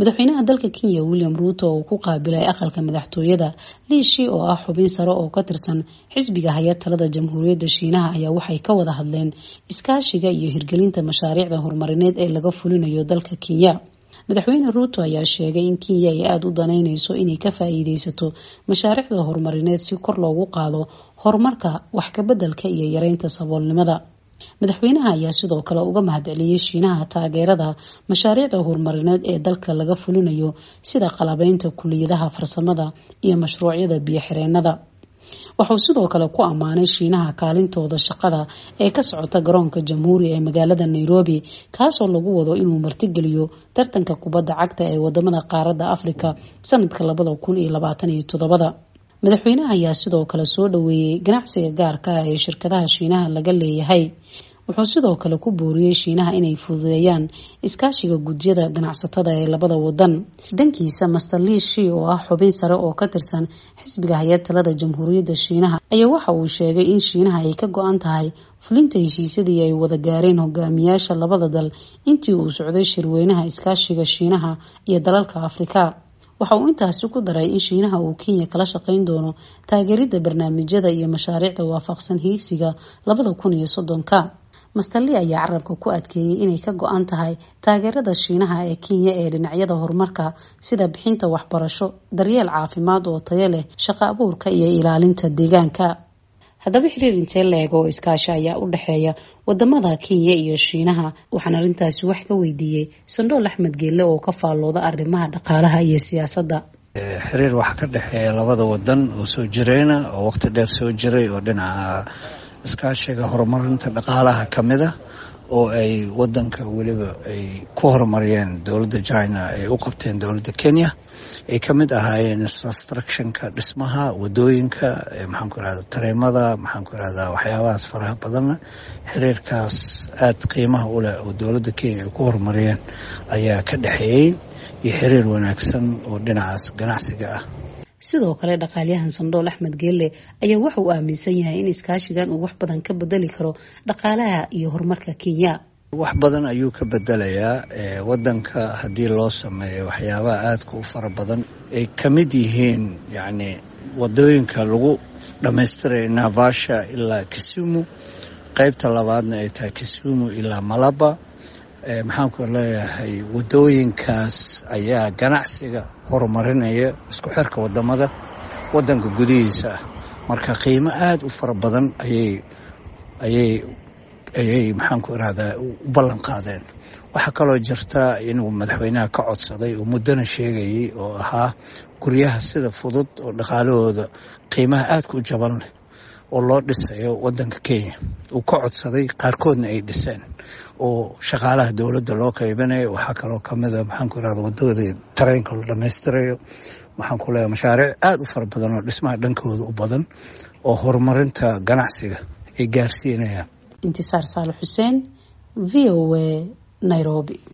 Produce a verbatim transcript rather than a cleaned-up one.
Madaxweynaha dalka Kenya William Ruto oo ku qaabilay aqalka madaxtooyada Li Shi oo ah xubin sare oo ka tirsan xisbiga haya talada Jamhuuriyadda Shiinaha ayaa waxay ka wada hadleen iskaashiga iyo hirgelinta mashaariicda horumarineed ee laga fulinayo dalka Kenya. Madaxweyne Ruto ayaa sheegay in Kenya ay aada u daneyneyso inay ka faa-iideysato mashaariicda horumarineed si kor loogu qaado horumarka, wax ka beddelka iyo yareynta saboolnimada. Madaxweynaha ayaa sidoo kale uga mahadceliyey Shiinaha taageerada mashaariicda horumarineed ee dalka laga fulinayo sida qalabeynta kuliyadaha farsamada iyo mashruucyada biyo-xireennada. Wuxuu sidoo kale ku ammaanay Shiinaha kaalintooda shaqada ee ka socota garoonka Jamhuuri ee magaalada Nairobi, kaasoo lagu wado inuu martigeliyo tartanka kubadda cagta ee wadamada qaaradda Afrika sanadka labada kun iyo labaatan iyo toddobada. Madaxweynaha ayaa sidoo kale soo dhaweeyey ganacsiga gaarka ah ee shirkadaha Shiinaha laga leeyahay. Wuxuu sidoo kale ku booriyey Shiinaha inay fududeeyaan iskaashiga gudyada ganacsatada ee labada wadan. Dhankiisa, Master Li Shi oo ah xubin sare oo ka tirsan xisbiga haya talada Jamhuuriyadda Shiinaha ayaa waxa uu sheegay in Shiinaha ay ka go-an tahay fulinta heshiisyadii ay wada gaareen hogaamiyaasha labada dal intii uu socday shirweynaha iskaashiga Shiinaha iyo dalalka Afrika. Waxa uu intaasi ku daray in Shiinaha uu Kenya kala shaqeyn doono taageeridda barnaamijyada iyo mashaariicda waafaqsan hiigsiga labada kun iyo soddonka. Master Li ayaa carabka ku adkeeyey inay ka go-an tahay taageerada Shiinaha ee Kenya ee dhinacyada horumarka sida bixinta waxbarasho, daryeel caafimaad oo tayo leh, shaqo abuurka iyo ilaalinta deegaanka. Haddaba xiriir intee la-eg oo iskaashi ayaa u dhexeeya wadamada Kenya iyo Shiinaha? Waxaan arrintaasi wax ka weydiiyey Sandhool Axmed Geelle oo ka faallooda arrimaha dhaqaalaha iyo siyaasadda. Xiriir waxaa ka dhexeeya labada wadan oo soo jireyna oo waqti dheer soo jiray oo dhinaca iskaashiga horumarinta dhaqaalaha ka mid ah, oo ay wadanka weliba ay ku horumariyeen dowladda China ay u qabteen dowladda Kenya, ay ka mid ahaayeen infrastructionka, dhismaha wadooyinka, maxaan ku irahda, tareemada, maxaan ku irahdaa, waxyaabahaas faraha badanna. Xiriirkaas aada qiimaha u leh oo dowladda Kenya ay ku horumariyeen ayaa ka dhexeeyey, iyo xiriir wanaagsan oo dhinacaas ganacsiga ah. Sidoo kale dhaqaalyahan Sandhool Axmed Geelle ayaa waxa uu aaminsan yahay in iskaashigan uu wax badan ka bedeli karo dhaqaalaha iyo horumarka Kenya. Wax badan ayuu ka bedelayaa wadanka haddii loo sameeyo waxyaabaha aadka u fara badan ay ka mid yihiin, yacni wadooyinka lagu dhammaystirayo Naivasha ilaa Kisumu, qeybta labaadna ay tahay Kisumu ilaa Malaba. Maxaan ku leeyahay, wadooyinkaas ayaa ganacsiga horumarinaya, isku xirka wadamada wadanka gudihiisa ah. Marka qiimo aada u fara badan ayay ayay ayay maxaan ku irahdaa, u ballan qaadeen. Waxaa kaloo jirta inuu madaxweynaha ka codsaday oo muddona sheegayay oo ahaa guryaha sida fudud oo dhaqaalahooda qiimaha aadka u jaban leh oo loo dhisayo wadanka Kenya uu ka codsaday, qaarkoodna ay dhiseen oo shaqaalaha dowladda loo qaybinayo. Waxaa kaloo kamida, maxaan ku irahda, wadada tareenka la dhammaystirayo. Waxaan ku leeyahay mashaariic aada u fara badan oo dhismaha dhankooda u badan oo horumarinta ganacsiga ay gaarsiinayaan. Intisaar Saale Xuseen, V O A, Nairobi.